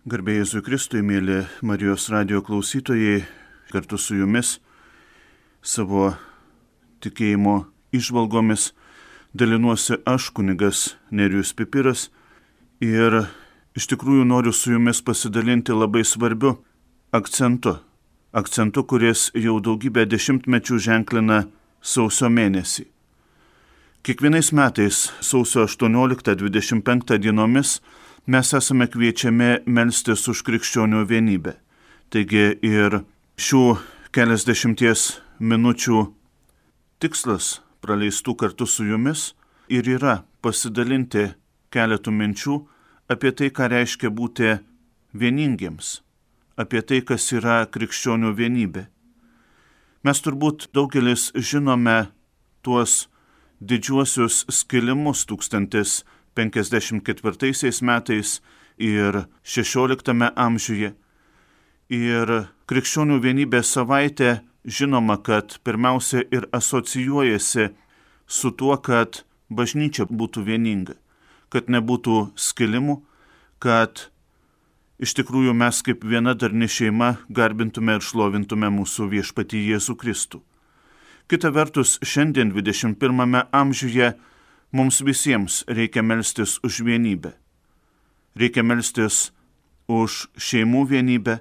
Garbė Jėzui Kristui, mėly Marijos radijo klausytojai, kartu su jumis savo tikėjimo įžvalgomis dalinuosi aš, kunigas Nerijus Pipiras, ir iš tikrųjų noriu su jumis pasidalinti labai svarbiu akcentu, kuris jau daugybę dešimtmečių ženklina sausio mėnesį. Kiekvienais metais sausio 18-25 dienomis mes esame kviečiami melstis už krikščionių vienybę. Taigi ir šių keliasdešimties minučių tikslas praleistų kartu su jumis ir yra pasidalinti keletų minčių apie tai, ką reiškia būti vieningiems, apie tai, kas yra krikščionių vienybė. Mes turbūt daugelis žinome tuos didžiuosius skilimus 1054 metais ir 16 amžiuje. Ir krikščionių vienybės savaitė žinoma, kad pirmiausia ir asocijuojasi su tuo, kad bažnyčia būtų vieninga, kad nebūtų skilimų, kad iš tikrųjų mes kaip viena darni šeima garbintume ir šlovintume mūsų viešpatį Jėzų Kristų. Kita vertus, šiandien 21 amžiuje mums visiems reikia melstis už vienybę. Reikia melstis už šeimų vienybę,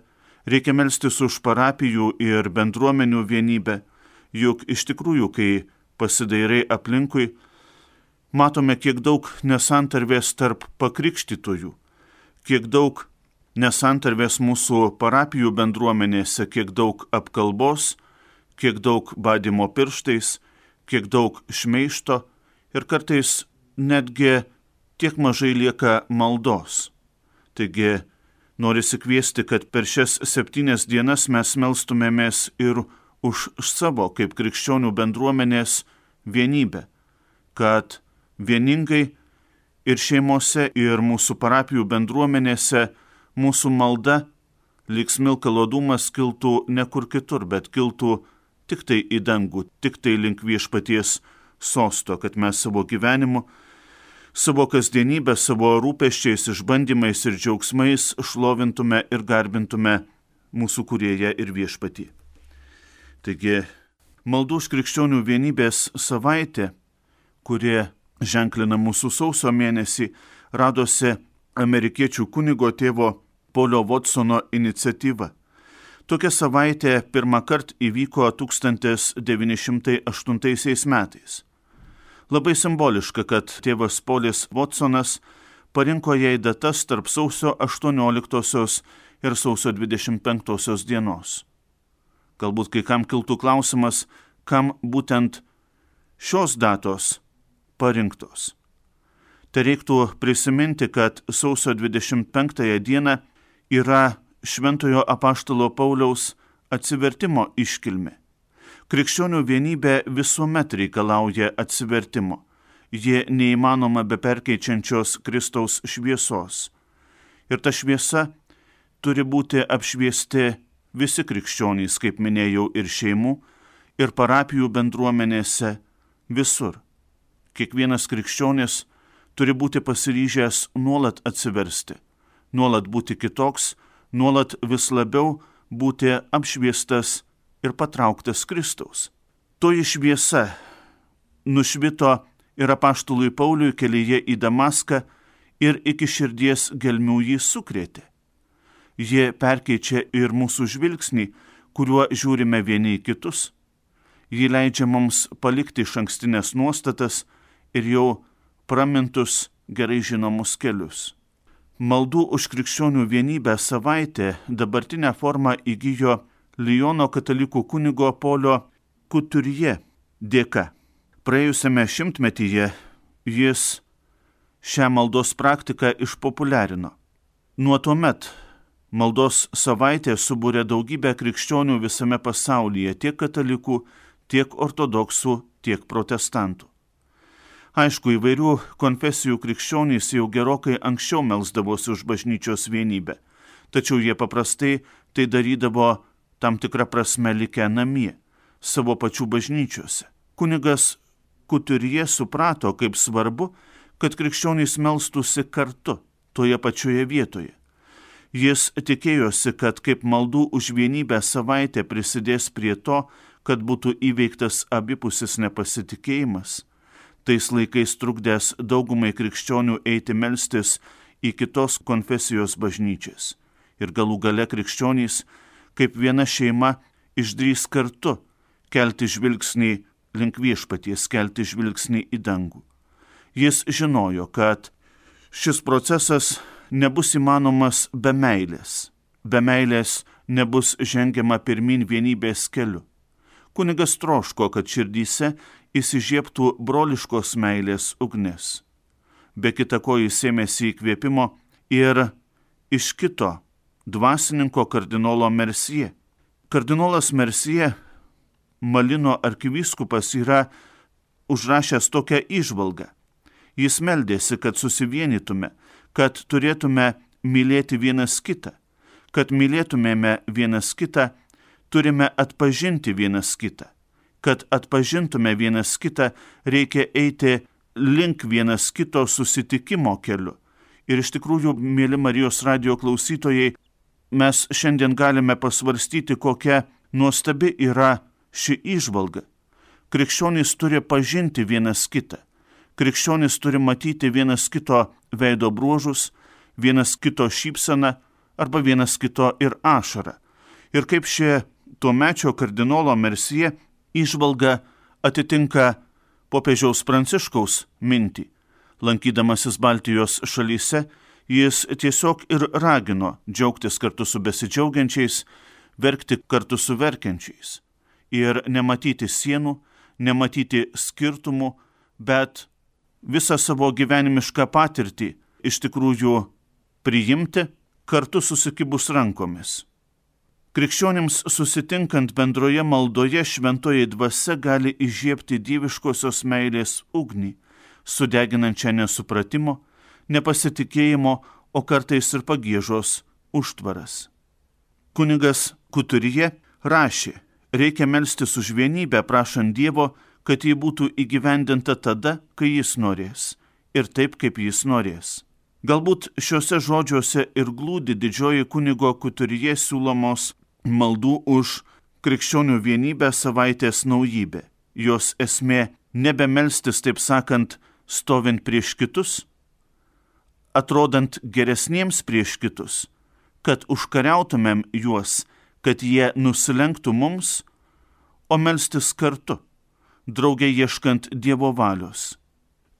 reikia melstis už parapijų ir bendruomenių vienybę, juk iš tikrųjų, kai pasidairai aplinkui, matome, kiek daug nesantarvės tarp pakrikštytojų, kiek daug nesantarvės mūsų parapijų bendruomenėse, kiek daug apkalbos, kiek daug badymo pirštais, kiek daug šmeižto ir kartais netgi tiek mažai lieka maldos. Taigi norisi kviesti, kad per šias 7 dienas mes melstumėmės ir už savo kaip krikščionių bendruomenės vienybę, kad vieningai ir šeimose, ir mūsų parapijų bendruomenėse mūsų malda lyg smilkalo dūmas kiltų ne kur kitur, bet kiltų tik tai į dangų, tik tai link viešpaties sosto, kad mes savo gyvenimu, savo kasdienybę, savo rūpesčiais, išbandymais ir džiaugsmais šlovintume ir garbintume mūsų kūrėją ir viešpatį. Taigi, maldų už krikščionių vienybės savaitė, kuri ženklina mūsų sausio mėnesį, radosi amerikiečių kunigo tėvo Polio Watsono iniciatyva. Tokia savaitė pirmą kartą įvyko 1908 metais. Labai simboliška, kad tėvas Polis Watsonas parinko jai datas tarp sausio 18 ir sausio 25 dienos. Galbūt kai kam kiltų klausimas, kam būtent šios datos parinktos. Tai reiktų prisiminti, kad sausio 25 dieną yra Šventojo apaštalo Pauliaus atsivertimo iškilmė. Krikščionių vienybė visuomet reikalauja atsivertimo. Ji neįmanoma be perkeičiančios Kristaus šviesos. Ir ta šviesa turi būti apšviesti visi krikščionys, kaip minėjau, ir šeimų, ir parapijų bendruomenėse, visur. Kiekvienas krikščionis turi būti pasiryžęs nuolat atsiversti, nuolat būti kitoks, nuolat vis labiau būti apšviestas ir patrauktas Kristaus. Toji šviesa nušvito ir apaštului Pauliui kelyje į Damaską ir iki širdies gelmių jį sukrėtė. Jie perkeičia ir mūsų žvilgsnį, kuriuo žiūrime vieni į kitus. Ji leidžia mums palikti išankstinės nuostatas ir jau pramintus gerai žinomus kelius. Maldų už krikščionių vienybę savaitė dabartinę formą įgijo Liono katalikų kunigo Polio Kuturje dėka. Praėjusiame šimtmetyje jis šią maldos praktiką išpopuliarino. Nuo tuomet maldos savaitė subūrė daugybę krikščionių visame pasaulyje, tiek katalikų, tiek ortodoksų, tiek protestantų. Aišku, įvairių konfesijų krikščionys jau gerokai anksčiau melsdavosi už bažnyčios vienybę, tačiau jie paprastai tai darydavo tam tikrą prasme likę namie, savo pačių bažnyčiose. Kunigas Kuturje suprato, kaip svarbu, kad krikščionys melstųsi kartu, toje pačioje vietoje. Jis tikėjosi, kad kaip maldų už vienybę savaitė prisidės prie to, kad būtų įveiktas abipusis nepasitikėjimas, tais laikais trukdęs daugumai krikščionių eiti melstis į kitos konfesijos bažnyčias. Ir galų gale krikščionys, kaip viena šeima, išdrįs kartu kelti žvilgsnį link viešpaties, kelti žvilgsnį į dangų. Jis žinojo, kad šis procesas nebus įmanomas be meilės. Be meilės nebus žengiama pirmin vienybės keliu. Kunigas troško, kad širdyse įsižiebtų broliškos meilės ugnis. Be kita ko jis ėmėsi įkvėpimo ir iš kito dvasininko kardinolo Mercier. Kardinolas Mercier, Malino arkivyskupas, yra užrašęs tokią įžvalgą. Jis meldėsi, kad susivienytume, kad turėtume mylėti vienas kitą. Kad mylėtumėme vienas kitą, turime atpažinti vienas kitą. Kad atpažintume vienas kitą, reikia eiti link vienas kito susitikimo keliu. Ir iš tikrųjų, mėly Marijos radijo klausytojai, mes šiandien galime pasvarstyti, kokia nuostabi yra ši įžvalga. Krikščionys turi pažinti vienas kitą. Krikščionys turi matyti vienas kito veido bruožus, vienas kito šypseną arba vienas kito ir ašarą. Ir kaip šie tuomečio kardinolo Mercier įžvalga atitinka popiežiaus Pranciškaus mintį. Lankydamasis Baltijos šalyse, jis tiesiog ir ragino džiaugtis kartu su besidžiaugiančiais, verkti kartu su verkiančiais. Ir nematyti sienų, nematyti skirtumų, bet visą savo gyvenimišką patirtį iš tikrųjų priimti kartu susikibus rankomis. Krikščionims susitinkant bendroje maldoje šventoji dvasia gali įžiebti dieviškosios meilės ugnį, sudeginančią nesupratimo, nepasitikėjimo, o kartais ir pagiežos užtvaras. Kunigas Kuturije rašė: reikia melstis už vienybę, prašant Dievo, kad ji būtų įgyvendinta tada, kai jis norės, ir taip, kaip jis norės. Galbūt šiuose žodžiuose ir glūdi didžioji kunigo Kuturije siūlomos maldų už krikščionių vienybę savaitės naujybė. Jos esmė nebemelstis, taip sakant, stovint prieš kitus, atrodant geresniems prieš kitus, kad užkariautumėm juos, kad jie nusilenktų mums, o melstis kartu, drauge ieškant Dievo valios.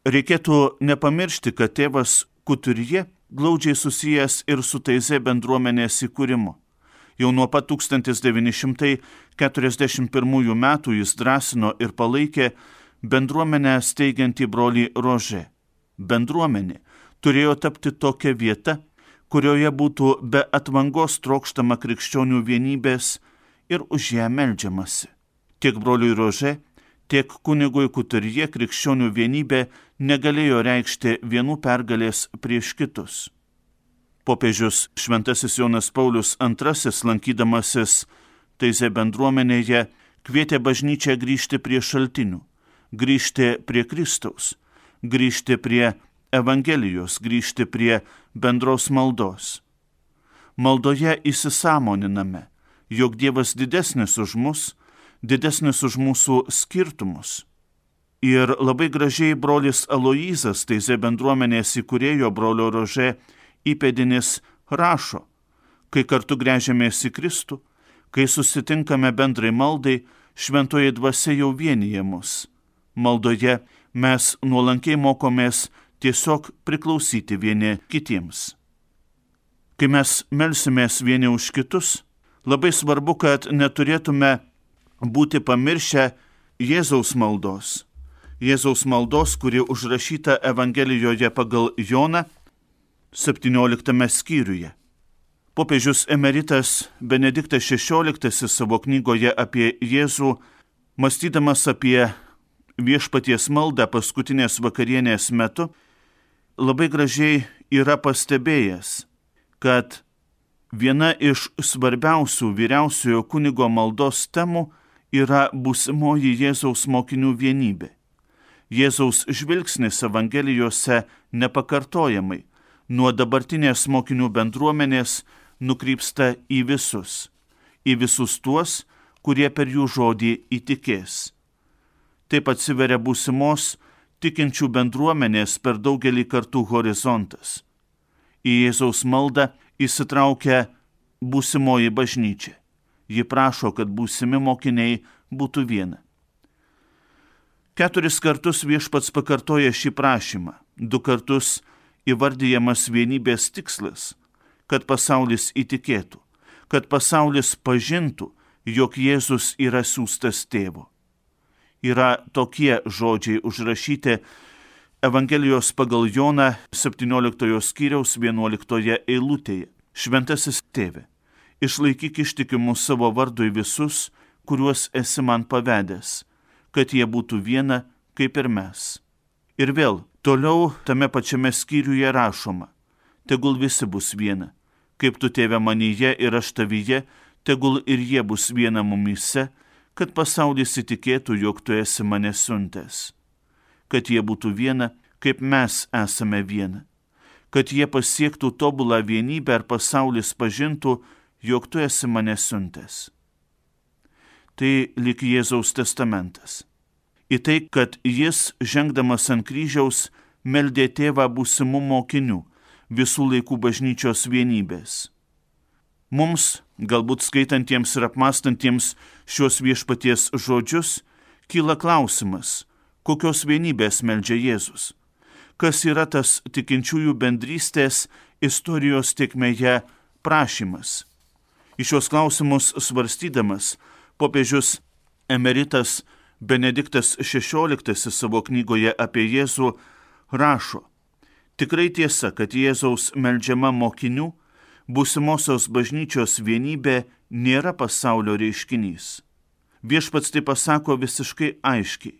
Reikėtų nepamiršti, kad tėvas Kuturije glaudžiai susijęs ir su Taizė bendruomenės įkūrimu. Jau nuo pat 1941 metų jis drąsino ir palaikė bendruomenę steigiantį brolį Rožė. Bendruomenė turėjo tapti tokia vieta, kurioje būtų be atvangos trokštama krikščionių vienybės ir už ją meldžiamasi. Tiek broliui Rožė, tiek kunigui Kuturije krikščionių vienybė negalėjo reikšti vienų pergalės prieš kitus. Popiežius Šventasis Jonas Paulius II, lankydamasis Taizė bendruomenėje, kvietė bažnyčią grįžti prie šaltinių, grįžti prie Kristaus, grįžti prie Evangelijos, grįžti prie bendros maldos. Maldoje įsisąmoniname, jog Dievas didesnis už mus, didesnis už mūsų skirtumus. Ir labai gražiai brolis Aloyzas, Taizė bendruomenės įkūrėjo brolio Rožė įpėdinis, rašo: kai kartu gręžiamės į Kristų, kai susitinkame bendrai maldai, šventoji dvasia jau vienyje mus. Maldoje mes nuolankiai mokomės tiesiog priklausyti vieni kitiems. Kai mes melsimės vieni už kitus, labai svarbu, kad neturėtume būti pamiršę Jėzaus maldos. Jėzaus maldos, kuri užrašyta Evangelijoje pagal Joną 17 skyriuje. Popiežius emeritas Benediktas XVI savo knygoje apie Jėzų, mąstydamas apie viešpaties maldą paskutinės vakarienės metu, labai gražiai yra pastebėjęs, kad viena iš svarbiausių vyriausiojo kunigo maldos temų yra būsimoji Jėzaus mokinių vienybė. Jėzaus žvilgsnis Evangelijose nepakartojamai nuo dabartinės mokinių bendruomenės nukrypsta į visus tuos, kurie per jų žodį įtikės. Taip atsiveria būsimos tikinčių bendruomenės per daugelį kartų horizontas. Į Jėzaus maldą įsitraukia būsimoji bažnyčia. Ji prašo, kad būsimi mokiniai būtų viena. 4 kartus viešpats pakartoja šį prašymą, 2 kartus įvardyjamas vienybės tikslas, kad pasaulis įtikėtų, kad pasaulis pažintų, jog Jėzus yra siųstas tėvo. Yra tokie žodžiai užrašyti Evangelijos pagal Joną 17 skyriaus 11 eilutėje. Šventasis tėve, išlaikyk ištikimus savo vardui visus, kuriuos esi man pavedęs, kad jie būtų viena, kaip ir mes. Ir vėl, toliau tame pačiame skyriuje rašoma, tegul visi bus viena, kaip tu tėve manyje ir aš tavyje, tegul ir jie bus viena mumyse, kad pasaulis įtikėtų, jog tu esi mane siuntęs. Kad jie būtų viena, kaip mes esame viena. Kad jie pasiektų tobulą vienybę ir pasaulis pažintų, jog tu esi mane siuntęs. Tai lyg Jėzaus testamentas. Į tai, kad jis, žengdamas ant kryžiaus, meldė tėvą būsimų mokinių, visų laikų bažnyčios vienybės. Mums, galbūt skaitantiems ir apmąstantiems šios viešpaties žodžius, kyla klausimas, kokios vienybės meldžia Jėzus. Kas yra tas tikinčiųjų bendrystės istorijos tėkmėje prašymas? Į šios klausimus svarstydamas, popiežius emeritas Benediktas XVI savo knygoje apie Jėzų rašo, tikrai tiesa, kad Jėzaus meldžiama mokinių, būsimosios bažnyčios vienybė nėra pasaulio reiškinys. Viešpats tai pasako visiškai aiškiai.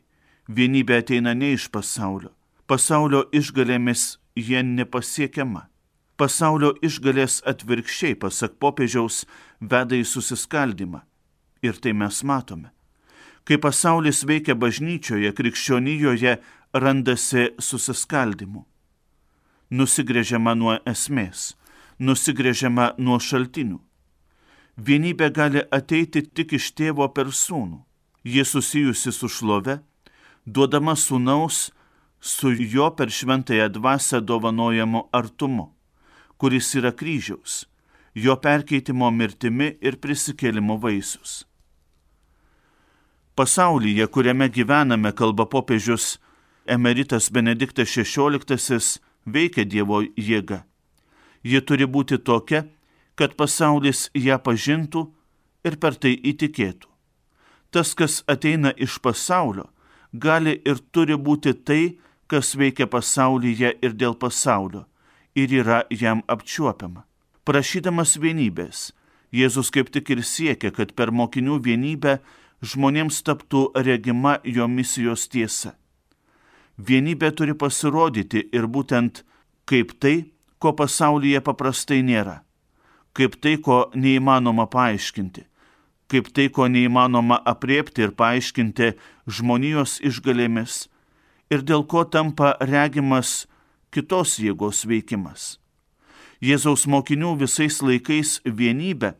Vienybė ateina ne iš pasaulio. Pasaulio išgalėmis jie nepasiekiama. Pasaulio išgalės atvirkščiai, pasak popiežiaus, veda į susiskaldymą. Ir tai mes matome. Kai pasaulis veikia bažnyčioje, krikščionijoje randasi susiskaldimu. Nusigręžiama nuo esmės, nusigręžiama nuo šaltinių. Vienybė gali ateiti tik iš tėvo per sūnų. Ji susijusi su šlove, duodama sūnaus su jo per šventąją dvasią dovanojamu artumu, kuris yra kryžiaus, jo perkeitimo mirtimi ir prisikėlimo vaisius. Pasaulyje, kuriame gyvename, kalba popiežius emeritas Benediktas XVI, veikia Dievo jėga. Ji turi būti tokia, kad pasaulis ją pažintų ir per tai įtikėtų. Tas, kas ateina iš pasaulio, gali ir turi būti tai, kas veikia pasaulyje ir dėl pasaulio, ir yra jam apčiuopiama. Prašydamas vienybės, Jėzus kaip tik ir siekia, kad per mokinių vienybę žmonėms taptų regima jo misijos tiesa. Vienybė turi pasirodyti ir būtent kaip tai, ko pasaulyje paprastai nėra, kaip tai, ko neįmanoma paaiškinti, kaip tai, ko neįmanoma apriepti ir paaiškinti žmonijos išgalėmis ir dėl ko tampa regimas kitos jėgos veikimas. Jėzaus mokinių visais laikais vienybė,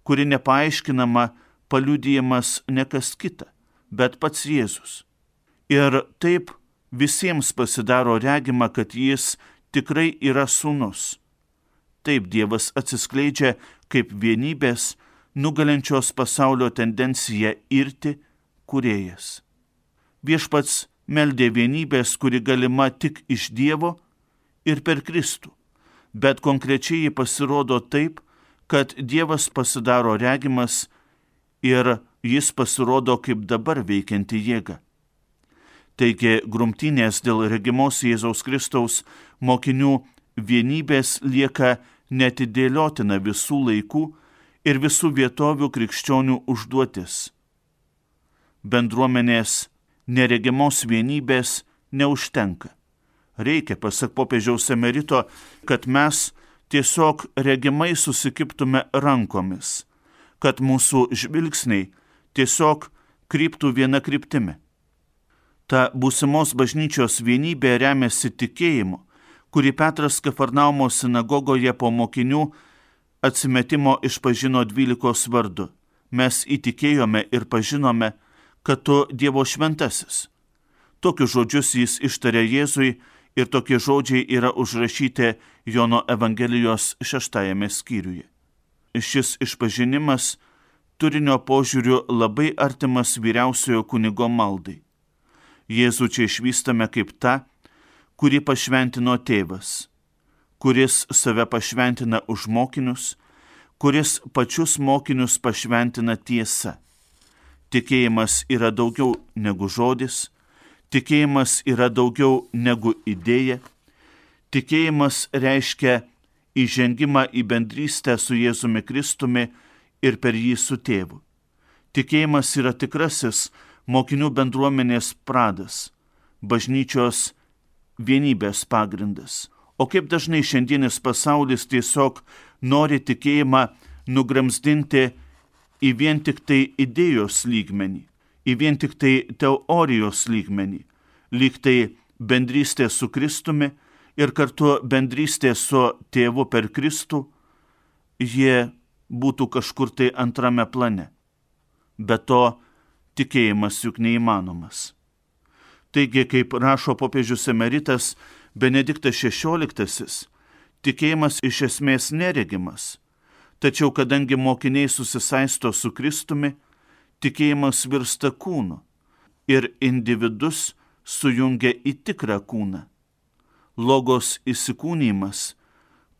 kuri nepaaiškinama, paliudijamas ne kas kita, bet pats Jėzus. Ir taip visiems pasidaro regima, kad jis tikrai yra sūnus. Taip Dievas atsiskleidžia kaip vienybės, nugalinčios pasaulio tendenciją irti kūrėjas. Viešpats meldė vienybės, kuri galima tik iš Dievo ir per Kristų, bet konkrečiai ji pasirodo taip, kad Dievas pasidaro regimas ir jis pasirodo kaip dabar veikianti jėga. Taigi grumtynės dėl regimos Jėzaus Kristaus mokinių vienybės lieka neatidėliotina visų laikų ir visų vietovių krikščionių užduotis. Bendruomenės neregimos vienybės neužtenka. Reikia, pasak popiežiaus emerito, kad mes tiesiog regimai susikibtume rankomis, kad mūsų žvilgsniai tiesiog kryptų viena kryptimi. Ta būsimos bažnyčios vienybė remiasi tikėjimu, kurį Petras Kafarnaumo sinagogoje po mokinių atsimetimo išpažino 12 vardu. Mes įtikėjome ir pažinome, kad tu Dievo šventasis. Tokius žodžius jis ištarė Jėzui ir tokie žodžiai yra užrašyti Jono Evangelijos 6 skyriuje. Šis išpažinimas turinio požiūriu labai artimas vyriausiojo kunigo maldai. Jėzų čia išvystame kaip tą, kurį pašventino tėvas, kuris save pašventina už mokinius, kuris pačius mokinius pašventina tiesa. Tikėjimas yra daugiau negu žodis, tikėjimas yra daugiau negu idėja, tikėjimas reiškia įžengimą į bendrystę su Jėzumi Kristumi ir per jį su tėvu. Tikėjimas yra tikrasis mokinių bendruomenės pradas, bažnyčios vienybės pagrindas. O kaip dažnai šiandienis pasaulis tiesiog nori tikėjimą nugramzdinti į vien tik tai idėjos lygmenį, į vien tik tai teorijos lygmenį, lyg tai bendrystė su Kristumi ir kartu bendrystė su tėvu per Kristų, jie būtų kažkur tai antrame plane. Be to, tikėjimas juk neįmanomas. Taigi, kaip rašo popiežius emeritas Benediktas XVI, tikėjimas iš esmės neregimas, tačiau kadangi mokiniai susisaisto su Kristumi, tikėjimas virsta kūnu ir individus sujungia į tikrą kūną. Logos įsikūnymas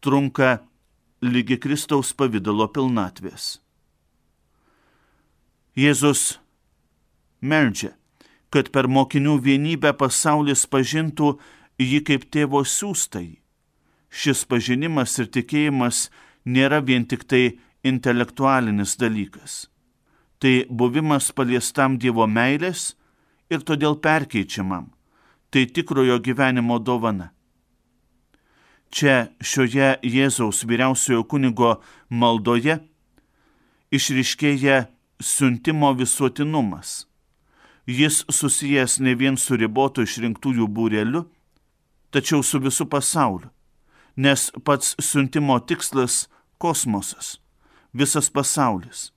trunka lygi Kristaus pavidalo pilnatvės. Jėzus meldžia, kad per mokinių vienybę pasaulis pažintų jį kaip tėvo siųstąjį. Šis pažinimas ir tikėjimas nėra vien tik tai intelektualinis dalykas. Tai buvimas paliestam Dievo meilės ir todėl perkeičiamam. Tai tikrojo gyvenimo dovana. Čia šioje Jėzaus vyriausiojo kunigo maldoje išryškėja siuntimo visuotinumas. Jis susijęs ne vien su ribotu išrinktųjų būreliu, tačiau su visu pasauliu, nes pats siuntimo tikslas – kosmosas, visas pasaulis.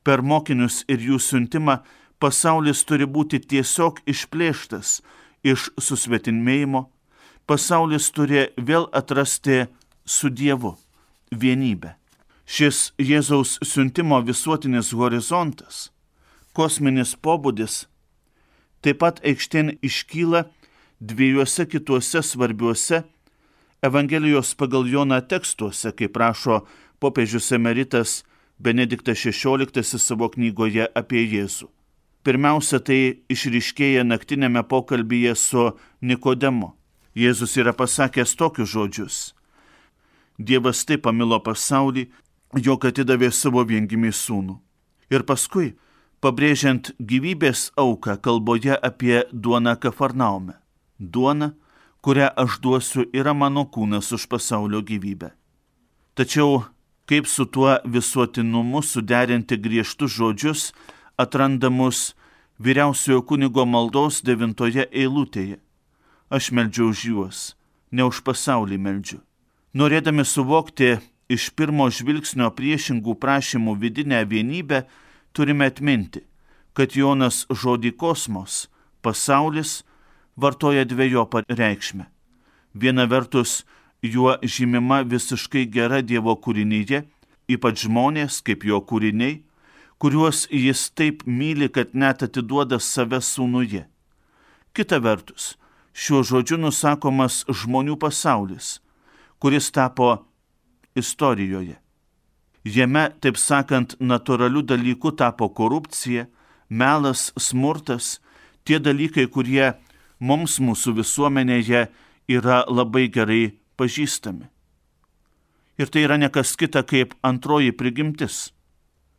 Per mokinius ir jų siuntimą pasaulis turi būti tiesiog išplėštas iš susvetimėjimo, pasaulis turi vėl atrasti su Dievu vienybę. Šis Jėzaus siuntimo visuotinis horizontas, kosminis pobūdis, taip pat aikštėn iškyla dviejuose kituose svarbiuose Evangelijos pagal Joną tekstuose, kaip rašo popiežius emeritas Benediktas XVI savo knygoje apie Jėzų. Pirmiausia, tai išryškėja naktinėme pokalbyje su Nikodemu. Jėzus yra pasakęs tokius žodžius: Dievas taip pamilo pasaulį, jog atidavė savo viengimį sūnų. Ir paskui, pabrėžiant gyvybės auką kalboje apie duoną Kafarnaume. Duona, kurią aš duosiu, yra mano kūnas už pasaulio gyvybę. Tačiau kaip su tuo visuotinumu suderinti griežtus žodžius atrandamus vyriausiojo kunigo maldos 9 eilutėje. Aš meldžiu už juos, ne už pasaulį meldžiu. Norėdami suvokti iš pirmo žvilgsnio priešingų prašymų vidinę vienybę, turime atminti, kad Jonas žodį kosmos, pasaulis, vartoja dvejopą reikšmę. Viena vertus, juo žymima visiškai gera Dievo kūrinyje, ypač žmonės kaip jo kūriniai, kuriuos jis taip myli, kad net atiduoda save sūnuje. Kita vertus, šiuo žodžiu nusakomas žmonių pasaulis, kuris tapo istorijoje. Jame, taip sakant, natūralių dalykų tapo korupcija, melas, smurtas, tie dalykai, kurie mums mūsų visuomenėje yra labai gerai pažįstami. Ir tai yra nekas kita kaip antroji prigimtis.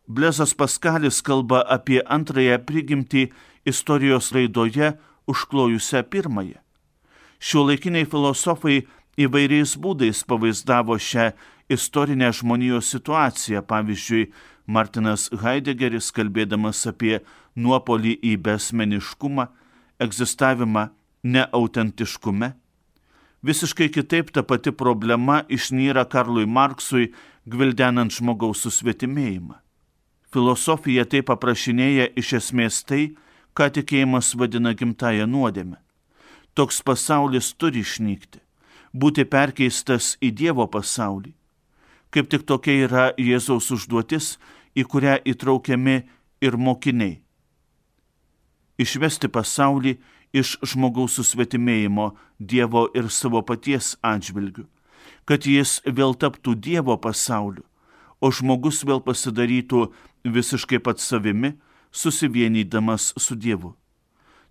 Blezas Paskalis kalba apie antrąją prigimtį istorijos raidoje užklojusią pirmąją. Šiuolaikiniai filosofai įvairiais būdais pavaizdavo šią istorinę žmonijos situaciją. Pavyzdžiui, Martinas Heideggeris, kalbėdamas apie nuopolį į besmeniškumą, egzistavimą neautentiškume, Visiškai kitaip ta pati problema išnyra Karlui Marksui, gvildenant žmogaus susvetimėjimą. Filosofija taip aprašinėja iš esmės tai, ką tikėjimas vadina gimtąją nuodėmę. Toks pasaulis turi išnykti, būti perkeistas į Dievo pasaulį. Kaip tik tokia yra Jėzaus užduotis, į kurią įtraukiami ir mokiniai. Išvesti pasaulį iš žmogaus susvetimėjimo Dievo ir savo paties atžvilgių, kad jis vėl taptų Dievo pasauliu, o žmogus vėl pasidarytų visiškai pats savimi, susivienydamas su Dievu.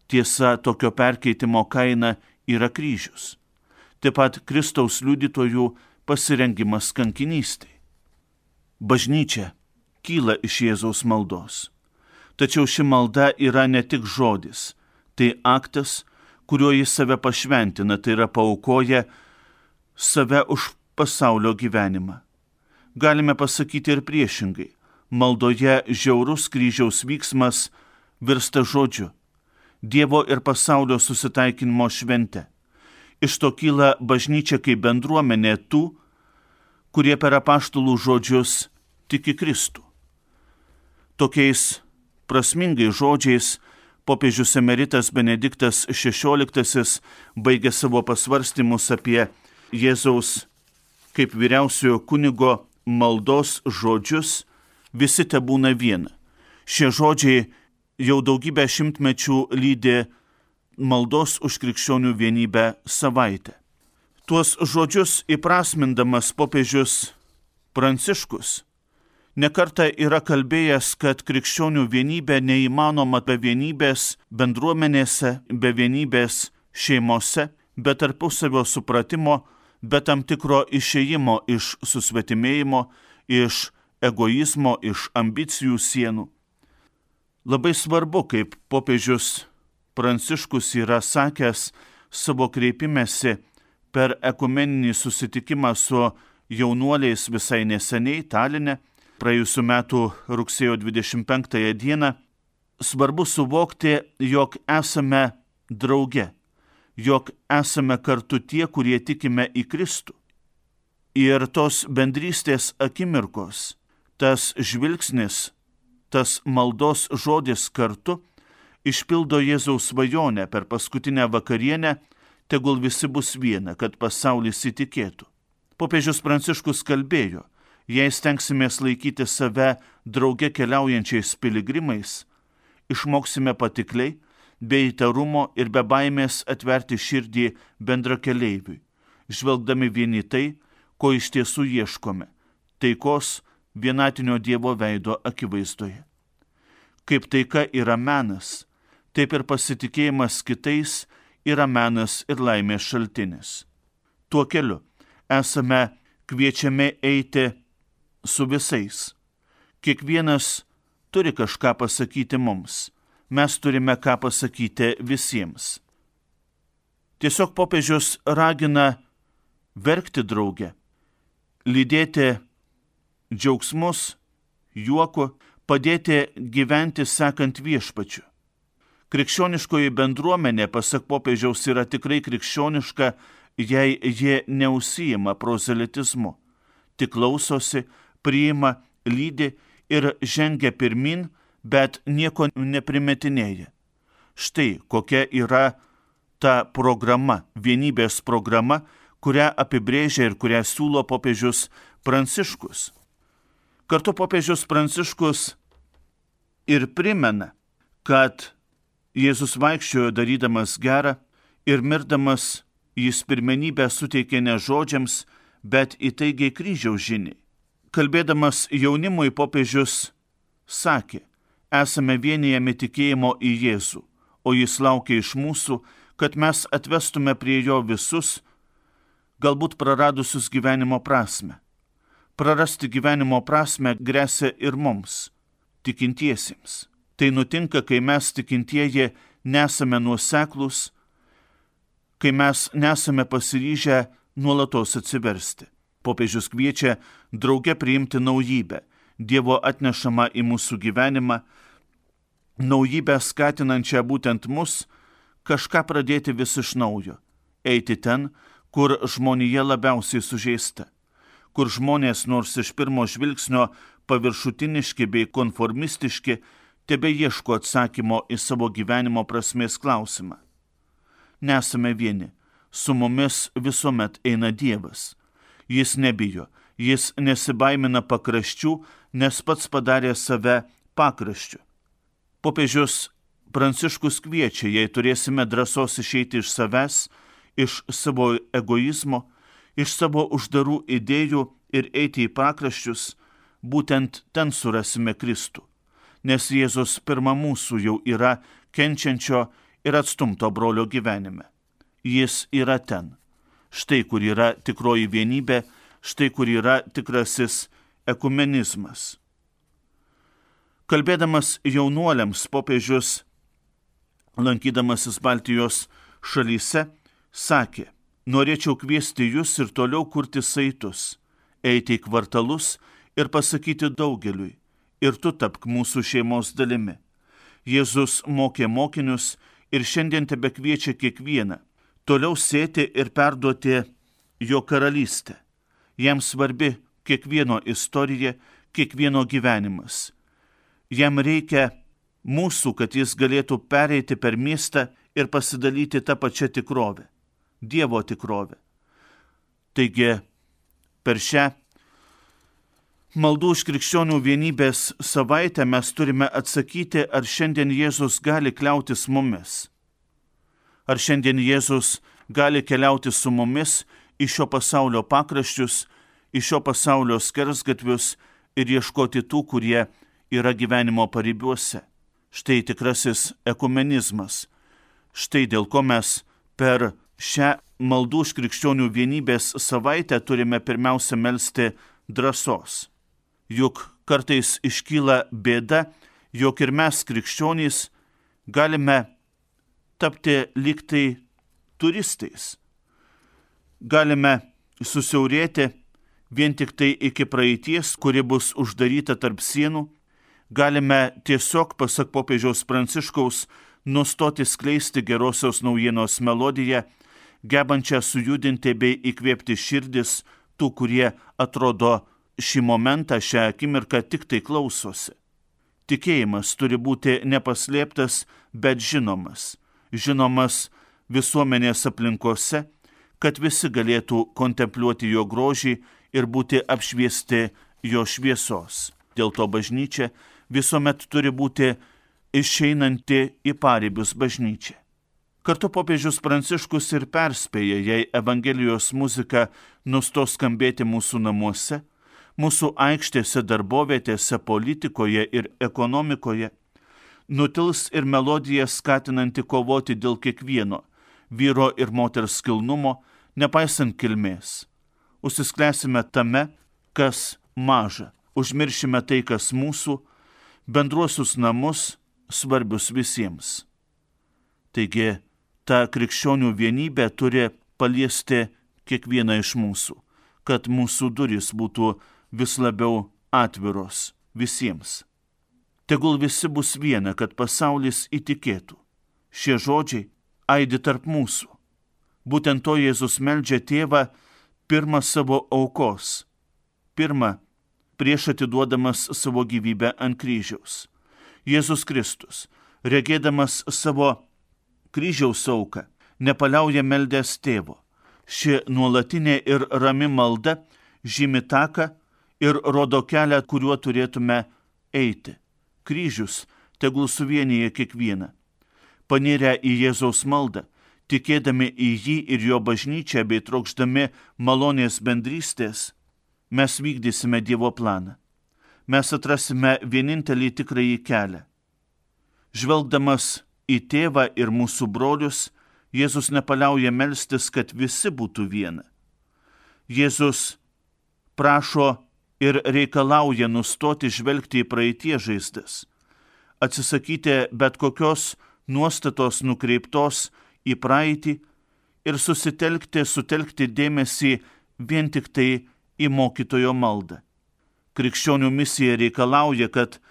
Tiesa, tokio perkeitimo kaina yra kryžius. Taip pat Kristaus liudytojų pasirengimas kankinystei. Bažnyčia kyla iš Jėzaus maldos. Tačiau ši malda yra ne tik žodis, tai aktas, kuriuo jis save pašventina, tai yra paaukoja save už pasaulio gyvenimą. Galime pasakyti ir priešingai. Maldoje žiaurus kryžiaus vyksmas virsta žodžiu, Dievo ir pasaulio susitaikinimo švente. Iš to kyla bažnyčia kaip bendruomenė tų, kurie per apaštalų žodžius tiki Kristų. Tokiais prasmingais žodžiais popiežius emeritas Benediktas XVI baigė savo pasvarstymus apie Jėzaus kaip vyriausiojo kunigo maldos žodžius: visi tebūna viena. Šie žodžiai jau daugybę šimtmečių lydi maldos už krikščionių vienybę savaitę. Tuos žodžius įprasmindamas popiežius Pranciškus nekartą yra kalbėjęs, kad krikščionių vienybė neįmanoma be vienybės bendruomenėse, be vienybės šeimose, be tarpusavio supratimo, be tam tikro išėjimo iš susvetimėjimo, iš egoizmo, iš ambicijų sienų. Labai svarbu, kaip popiežius Pranciškus yra sakęs savo kreipimęsi per ekumeninį susitikimą su jaunuoliais visai neseniai Taline, praėjusiu metu rugsėjo 25 dieną, svarbu suvokti, jog esame drauge, jog esame kartu tie, kurie tikime į Kristų. Ir tos bendrystės akimirkos, tas žvilgsnis, tas maldos žodis kartu išpildo Jėzaus svajonę per paskutinę vakarienę: tegul visi bus viena, kad pasaulis įtikėtų. Popiežius Pranciškus kalbėjo: jei stengsimės laikyti save drauge keliaujančiais piligrimais, išmoksime patikliai, be įtarumo ir be baimės atverti širdį bendrakeleiviui, žvelgdami vieni tai, ko iš tiesų ieškome – taikos, vienatinio Dievo veido akivaizdoje. Kaip taika yra menas, taip ir pasitikėjimas kitais yra menas ir laimės šaltinis. Tuo keliu esame kviečiami eiti su visais. Kiekvienas turi kažką pasakyti mums. Mes turime ką pasakyti visiems. Tiesiog popiežius ragina verkti drauge, lydėti džiaugsmus, juoku, padėti gyventi sekant viešpačiu. Krikščioniškoji bendruomenė, pasak popiežiaus, yra tikrai krikščioniška, jei jie neužsiima prozelitizmu, tik klausosi, priima, lydi ir žengia pirmin, bet nieko neprimetinėja. Štai kokia yra ta programa, vienybės programa, kurią apibrėžia ir kurią siūlo popiežius Pranciškus. Kartu popiežius Pranciškus ir primena, kad Jėzus vaikščiojo darydamas gerą ir mirdamas jis pirmenybę suteikė ne žodžiams, bet įtaigiai kryžiaus žiniai. Kalbėdamas jaunimui popiežius sakė: esame vienijami tikėjimo į Jėzų, o jis laukia iš mūsų, kad mes atvestume prie jo visus, galbūt praradusius gyvenimo prasmę. Prarasti gyvenimo prasmę gresia ir mums, tikintiesiems. Tai nutinka, kai mes tikintieji nesame nuoseklūs, kai mes nesame pasiryžę nuolatos atsiversti. Popiežius kviečia drauge priimti naujybę, Dievo atnešamą į mūsų gyvenimą, naujybę skatinančią būtent mus kažką pradėti vis iš naujo, eiti ten, kur žmonija labiausiai sužeista, kur žmonės nors iš pirmo žvilgsnio paviršutiniški bei konformistiški, tebe ieško atsakymo į savo gyvenimo prasmės klausimą. Nesame vieni, su mumis visuomet eina Dievas. Jis nebijo, jis nesibaimina pakraščių, nes pats padarė save pakraščiu. Popiežius Pranciškus kviečia, jei turėsime drąsos išeiti iš savęs, iš savo egoizmo, iš savo uždarų idėjų ir eiti į pakraščius, būtent ten surasime Kristų, nes Jėzus pirma mūsų jau yra kenčiančio ir atstumto brolio gyvenime. Jis yra ten. Štai kur yra tikroji vienybė, štai kur yra tikrasis ekumenizmas. Kalbėdamas jaunuoliams, popiežius, lankydamasis Baltijos šalyse, sakė: norėčiau kviesti jūs ir toliau kurti saitus, eiti į kvartalus ir pasakyti daugeliui: ir tu tapk mūsų šeimos dalimi. Jėzus mokė mokinius ir šiandien tebekviečia kiekvieną toliau sėti ir perduoti jo karalystę. Jam svarbi kiekvieno istorija, kiekvieno gyvenimas. Jam reikia mūsų, kad jis galėtų pereiti per miestą ir pasidalyti tą pačią tikrovę, Dievo tikrovę. Taigi, per šią Maldų už krikščionių vienybės savaitę mes turime atsakyti, ar šiandien Jėzus gali kliautis mumis. Ar šiandien Jėzus gali keliauti su mumis į šio pasaulio pakraščius, į šio pasaulio skersgatvius ir ieškoti tų, kurie yra gyvenimo paribiuose. Štai tikrasis ekumenizmas. Štai dėl ko mes per šią Maldų už krikščionių vienybės savaitę turime pirmiausia melsti drąsos. Juk kartais iškyla bėda, jog ir mes krikščionys galime tapti lyg tai turistais. Galime susiaurėti vien tik tai iki praeities, kuri bus uždaryta tarp sienų. Galime tiesiog, pasak popiežiaus Pranciškaus, nustoti skleisti gerosios naujienos melodiją, gebančią sujudinti bei įkvėpti širdis tų, kurie atrodo šį momentą, šią akimirką tik tai klausosi. Tikėjimas turi būti nepaslėptas, bet žinomas. Žinomas visuomenės aplinkose, kad visi galėtų kontempliuoti jo grožį ir būti apšviesti jo šviesos. Dėl to bažnyčia visuomet turi būti išeinanti į paribius bažnyčia. Kartu popiežius Pranciškus ir perspėja, jei Evangelijos muzika nustos skambėti mūsų namuose, mūsų aikštėse, darbovietėse, politikoje ir ekonomikoje, nutils ir melodija skatinanti kovoti dėl kiekvieno vyro ir moters kilnumo, nepaisant kilmės. Užsisklęsime tame, kas maža, užmiršime tai, kas mūsų, bendruosius namus, svarbius visiems. Taigi, ta krikščionių vienybė turi paliesti kiekvieną iš mūsų, kad mūsų durys būtų vis labiau atviros visiems. Tegul visi bus viena, kad pasaulis įtikėtų. Šie žodžiai aidi tarp mūsų. Būtent to Jėzus meldžia Tėvą pirmą savo aukos, pirmą prieš atiduodamas savo gyvybę ant kryžiaus. Jėzus Kristus, regėdamas savo kryžiaus auką, nepaliauja meldęs Tėvo. Ši nuolatinė ir rami malda žymi taką ir rodo kelią, kuriuo turėtume eiti. Kryžius tegul suvienyje kiekvieną. Panirę į Jėzaus maldą, tikėdami į jį ir jo bažnyčią bei trokšdami malonės bendrystės, mes vykdysime Dievo planą. Mes atrasime vienintelį tikrąjį kelią. Žvelgdamas į Tėvą ir mūsų brolius, Jėzus nepaliauja melstis, kad visi būtų viena. Jėzus prašo ir reikalauja nustoti žvelgti į praeities žaizdas, atsisakyti bet kokios nuostatos nukreiptos į praeitį ir sutelkti dėmesį vien tik tai į mokytojo maldą. Krikščionių misija reikalauja, kad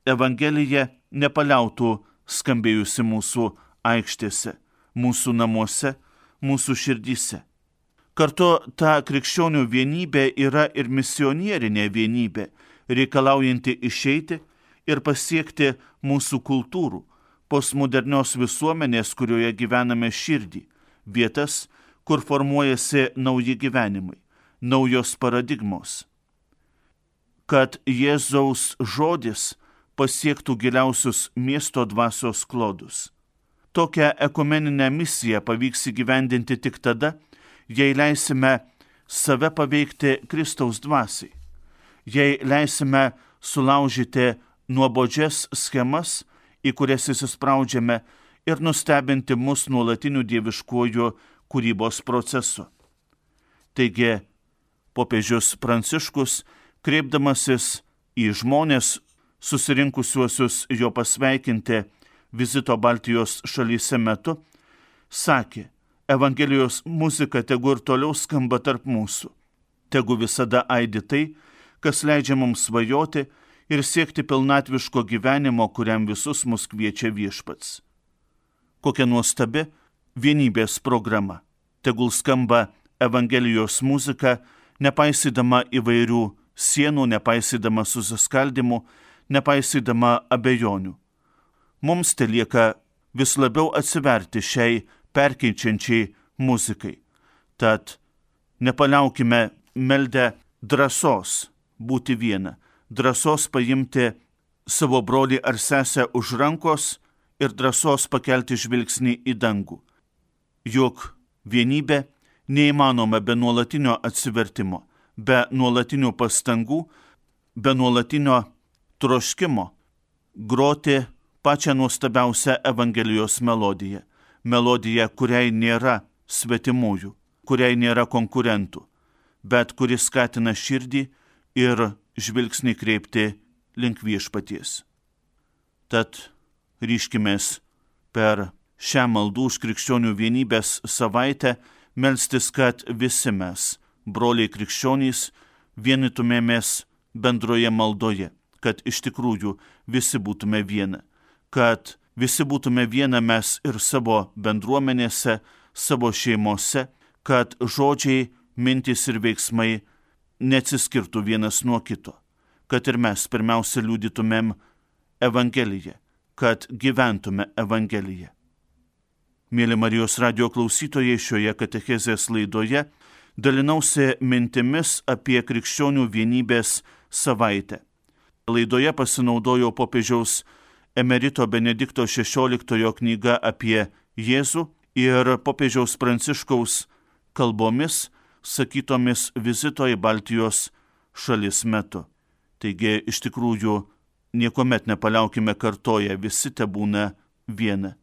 Evangelija nepaliautų skambėjusi mūsų aikštėse, mūsų namuose, mūsų širdyse. Kartu ta krikščionių vienybė yra ir misionierinė vienybė, reikalaujanti išeiti ir pasiekti mūsų kultūrų, postmodernios visuomenės, kurioje gyvename širdį, vietas, kur formuojasi nauji gyvenimai, naujos paradigmos. Kad Jėzaus žodis pasiektų giliausius miesto dvasios klodus. Tokią ekumeninę misiją pavyks įgyvendinti tik tada, jei leisime save paveikti Kristaus dvasiai, jei leisime sulaužyti nuobodžias schemas, į kurias įsispraudžiame ir nustebinti mus nuolatiniu dieviškuoju kūrybos procesu. Taigi, popiežius Pranciškus, kreipdamasis į žmonės susirinkusiuosius jo pasveikinti vizito Baltijos šalyse metu, sakė, Evangelijos muzika tegu ir toliau skamba tarp mūsų, tegu visada aidi tai, kas leidžia mums svajoti ir siekti pilnatviško gyvenimo, kuriam visus mus kviečia Viešpats. Kokia nuostabi vienybės programa. Tegul skamba Evangelijos muzika, nepaisydama įvairių sienų, nepaisydama susiskaldimų, nepaisydama abejonių. Mums telieka vis labiau atsiverti šiai perkeičiančiai muzikai. Tad nepaliaukime meldę drąsos būti viena, drąsos paimti savo brolį ar sesę už rankos ir drąsos pakelti žvilgsnį į dangų. Juk vienybė neįmanoma be nuolatinio atsivertimo, be nuolatinių pastangų, be nuolatinio troškimo groti pačią nuostabiausią Evangelijos melodiją. Melodija, kuriai nėra svetimųjų, kuriai nėra konkurentų, bet kuri skatina širdį ir žvilgsnį kreipti link Viešpaties. Tad ryškimės per šią maldų už krikščionių vienybės savaitę melstis, kad visi mes, broliai krikščionys, vienytumėmės bendroje maldoje, kad iš tikrųjų visi būtume viena, kad visi būtume viena mes ir savo bendruomenėse, savo šeimose, kad žodžiai, mintys ir veiksmai neatsiskirtų vienas nuo kito, kad ir mes pirmiausia liudytumėm Evangeliją, kad gyventume Evangeliją. Mėly Marijos radijo klausytojai, šioje katechezės laidoje dalinausi mintimis apie krikščionių vienybės savaitę. Laidoje pasinaudojau popiežiaus emerito Benedikto XVI knyga apie Jėzų ir popiežiaus Pranciškaus kalbomis, sakytomis vizito į Baltijos šalis metu. Taigi, iš tikrųjų, niekuomet nepaliaukime kartoję, visi tebūna viena.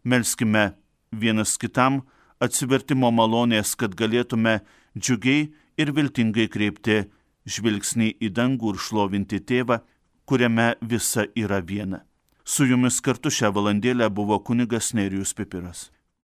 Melskime vienas kitam atsivertimo malonės, kad galėtume džiugiai ir viltingai kreipti žvilgsnį į dangų ir šlovinti Tėvą, kuriame visa yra viena. Su jumis kartu šią valandėlę buvo kunigas Nerijus Pipiras.